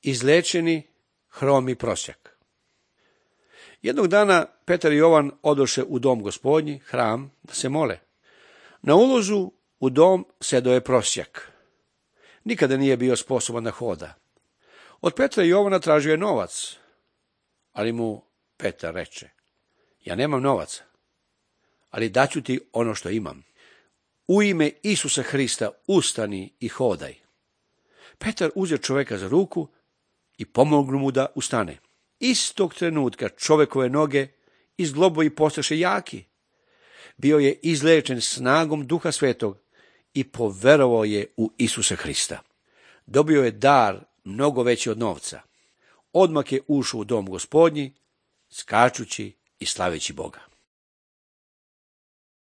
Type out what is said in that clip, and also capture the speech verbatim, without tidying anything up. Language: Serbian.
izlečeni hromi prosjak. Jednog dana Petar i Jovan odoše u dom Gospodnji, hram, da se mole. Na ulazu u dom sedeo je prosjak. Nikada nije bio sposoban da hoda. Od Petra i Jovana tražio je novac, ali mu Petar reče: ja nemam novaca, ali daću ti ono što imam. U ime Isusa Hrista ustani i hodaj. Petar uzeo čoveka za ruku i pomognu mu da ustane. Istog trenutka čovekove noge i zglobovi postaše jaki. Bio je izlečen snagom Duha Svetog i poverovao je u Isusa Hrista. Dobio je dar mnogo veći od novca. Odmah je ušao u dom Gospodnji, skačući i slaveći Boga.